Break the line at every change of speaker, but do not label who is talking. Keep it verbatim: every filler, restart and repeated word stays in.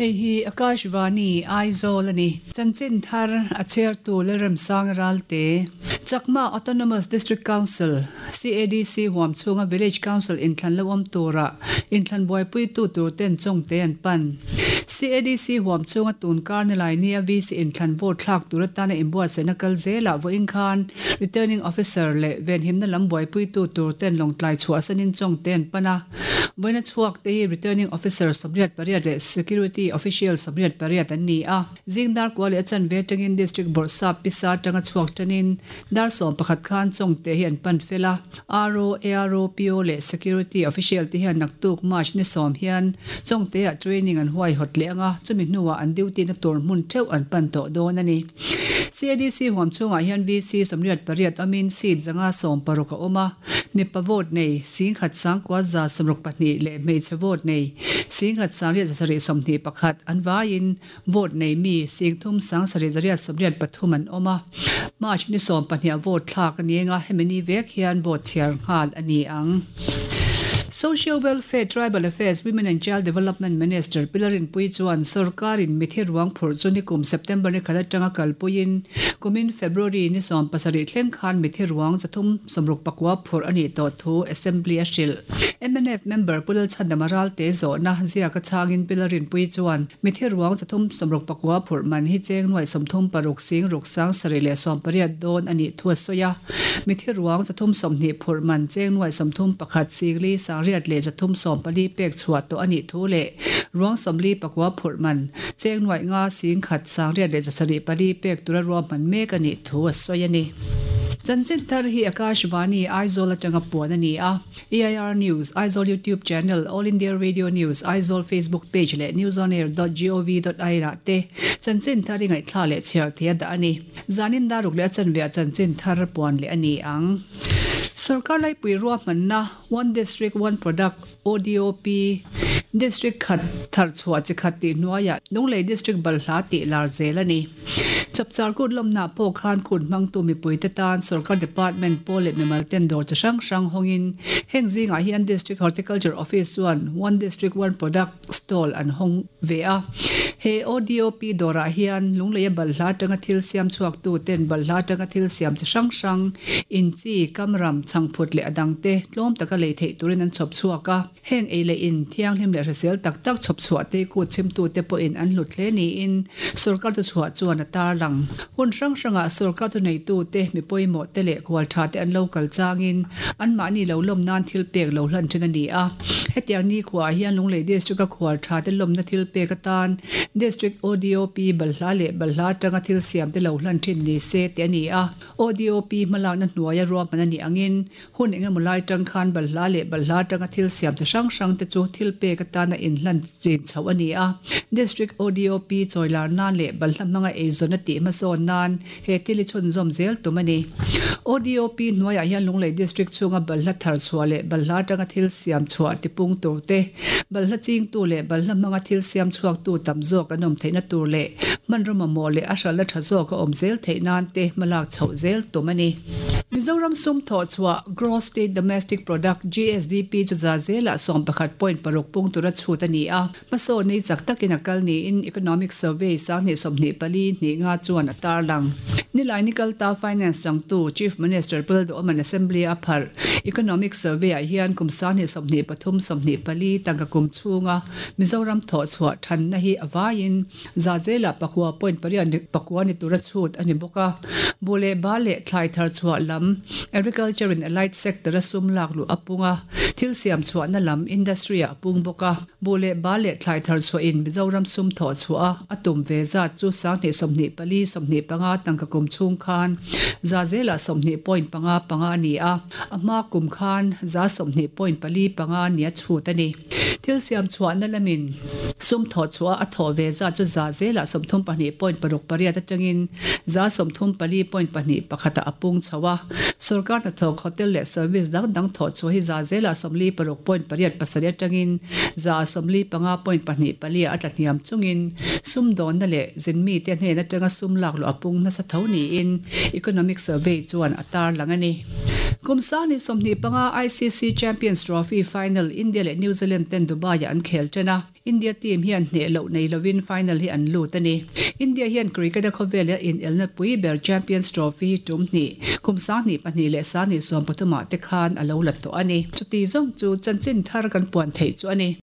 Hei hi Akashvani Aizawl ani. Chanchin thar a chhiartu Lalremsang Ralte. Chakma Autonomous District Council, C A D C huam chhunga Village Council inthlan lo awm tura inthlan buaipui tu tur ten Chawngte an pan. C A D C huam chhunga tun kar nilai nia V C inthlan vote thlak tur atana inbuatsaihna kal zelah vawiin khan Returning Officer leh venhimna lam buaipui tu tur ten Lawngtlai chhuah sanin Chawngte an pan a. Vawiina chhuak te hi Returning Officer sawmriat pariat leh Security Official sawmriat pariat an ni a. Zing dar kua leh a chanve atangin District Bawrhsap pisa atanga chhuak tanin dar sawm pakhat khan Chawngte hi an pan fel a. R O, A R O, P O leh Security Official te hian naktuk March ni sawm hian Chawngte ah training an huai hawt leh anga, chumi hnuah an duty na tur hmun theuh an pan tawh dawn a ni. C A D C huam chhungah hian V C sawmriat pariat awmin seat zanga sawm paruk a awm a. Mipa vote nei singkhat sangkua za sawmruk pahnih leh hmeichhe vote nei singkhat sangriat zasarih sawmhnih pakhat, an vaiin vote nei mi singthum sangsarih zariat sawmriat pathum an awm a. March ni sawm pahnih vote thlak ani anga, hemi ni vek hian vote chhiar nghal ani ang. Social Welfare, Tribal Affairs, Women and Child Development Minister Pi Lalrinpuii chuan sarkarin mithi ruang phurh chu nikum September ni khat atanga kalpuiin kumin February ni sawm pasarih thleng khan mithi ruang zathum sawmruk pakua phurh ani tawh thu Assembly a hrilh. M N F member Pu Lalchhandama Ralte zawhna ziaka chhangin Pi Lalrinpuii chuan mithi ruang zathum sawmruk pakua phurh man hi cheng nuai sawmthum paruk sing ruk sang sarih leh sawm pariat dawn ani thu a sawi a. Mithi ruang zathum sawmhnih phurh man cheng nuai sawmthum pakhat singli sangriat leh zathum sawm pali pek chhuah tawh ani thu leh ruang sawmli pakua phurh man cheng nuai nga sing khat sangriat leh zasarih pali pek tura ruah man mek ani thu a sawi ani. Chanchin thar hi Akashvani Aizawl atanga puan ani a. A I R News Aizawl YouTube channel, All India Radio News Aizawl Facebook page leh newsonair dot gov dot in ah te chanchin thar ingai thla leh chhiar thea dah ani. Zanin daruk leh a chanve chanchin thar puan leh ani ang. Sarkar lai pui ruah manna One District One Product, O D O P, District khat thar chhuah chi khat ti hnuaiah Lunglei District balhla tih lar zel ani. Chapchar Kut lawmna pawh khan kut hmangtu mipui te tan sarkar department pawl leh mimal ten dawr chi hrang hrang hawngin heng zingah hian District Horticulture Office chuan One District One Product stall an hawng ve a. He O D O P dawrah hian Lungleia balhla atanga thil siam chhuak tu ten balhla atanga thil siam chi hrang hrang in chi kamram changphut leh adang te tlawm taka lei theih turin an chhawp chhuak a. Heng ei leh in thianghlim leh hrisel tak tak chhawp chhuah te kut chim tu te pawhin an hlut hle niin sarkar tu chhuah chuan a tar lang. Hun hrang hrangah sarkar tu nei tu te mi pawimawh te leh khual tha te an local changin an mahni lo lawm nan thil pek lo hlan thin ani a. Hetiang ni khuah hian Lunglei District a khual tha te lawmna thil pek atan District O D O P balhla leh balhla atanga thil siam te lo hlan thin ni se te ani a. O D O P hmalak na hnuaia ruahman ani angin hun engemaw lai tang khan balhla leh balhla atanga thil siam chi hrang hrang te chu thil pek atana in hlan chin chho ani a. District O D O P chawilar nan leh balhla hmanga eizawn a tih hmasawn nan he thil hi chhunzawm zel tum ani. O D O P hnuaiah hian Lunglei District chhunga balhla thar chhuah leh balhla atanga thil siam chhuah tipung tur te, balhla chingtu leh balhla hmanga thil siam chhuak tu tam zawk an awm theihna tur leh hmanraw mamawh leh a hralhna tha zawk a awm zel theih nan te hmalak chhoh zel tum ani. Mizoram sum thaw chhuah, Gross State Domestic Product, G S D P chu za zela sawm pakhat point paruk pung tura chhut ani a. Hmasawn nei chak takin a kal niin Economic Survey sanghnih sawmhnih pali hnih nga chuan a tar lang. Nilai nikal ta Finance changtu Chief Minister Pu Lalduhoma'n Assembly a pharh Economic Survey ah hian kum sanghnih sawmhnih pathum sawmhnih pali tangka kum chhunga Mizoram thaw chhuah thanna hi awaiin za zela pakua point pariat pakua ni tura chhut ani bawk a. Bule ba leh thlai thar chhuah lam, Agriculture and Allied Sector a sum lak lu apunga, thil siam chhuah na lam, industry a pung bawk a. Bule ba leh thlai thar chhuah in Mizoram sum thaw chhuah a tum ve zat chu sanghnih sawmhnih pali sawmhnih panga tangka kum chhung khan za zela sawmhnih point panga panga ani a, a hma kum khan za sawmhnih point pali panga nia chhut ani. Thil siam chhuah na lamin sum thaw chhuah a thaw ve za chu za zela sawmthum pahnih point paruk pariat atangin za sawmthum pali point pahnih pakhata apung chhowa. Sarkar na thawk, hotel leh service dang dang thaw chu hi za zela sawmli paruk point pariat pasarih atangin za sawmli panga point pahnih pali a tlahniam chungin sum dawn na leh zinmi te hnen atanga sum lak lu apung na sa tho niin Economic Survey chuan a tar lang ani. Kumsani sawmhnih panga I C C Champions Trophy final India leh New Zealand ten Dubai an khel tena. India team hian hneh loh nei lovin final hi an lut a ni. India hian cricket a khawvel a in elna pui ber Champions Trophy hi tum hnih kum sang hnih pahnih leh sang hnih sawm pathumah te khan a lo la tawh a ni. Chuti zawng chu chanchin thar kan puan theih chu a ni.